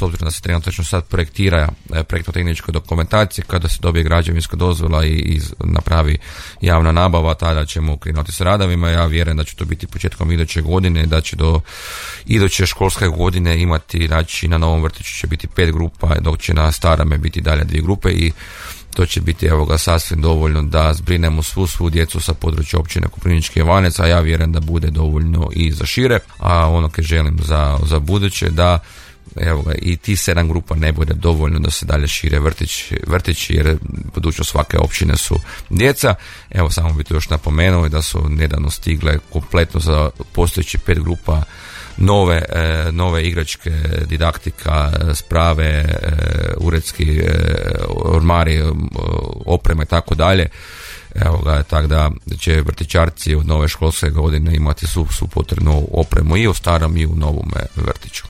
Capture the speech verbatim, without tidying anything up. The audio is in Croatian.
obzirom da se trenutno sad projektira projektno-tehnička dokumentacija, kada se dobije građevinska dozvola i, i napravi javna nabava, tada ćemo krenuti s radovima. Ja vjerujem da će to biti početkom iduće godine, da će do iduće školske godine imati, znači na novom vrtiću će biti pet grupa, dok će na starame biti dalje dvije grupe i to će biti evo ga sasvim dovoljno da zbrinemo svu svu djecu sa područja općine Koprivnički Ivanec, a ja vjerujem da bude dovoljno i za šire, a ono što želim za, za buduće da evo ga, i ti sedam grupa ne bude dovoljno da se dalje šire vrtić, vrtići jer budućnost svake općine su djeca. Evo samo bih to još napomenuo da su nedavno stigle kompletno za postojeći pet grupa nove, e, nove igračke, didaktika, sprave, e, uredski e, ormari, e, oprema i tako dalje. Evo ga, tako da će vrtićarci od nove školske godine imati svu, svu potrebnu opremu i u starom i u novom vrtiću.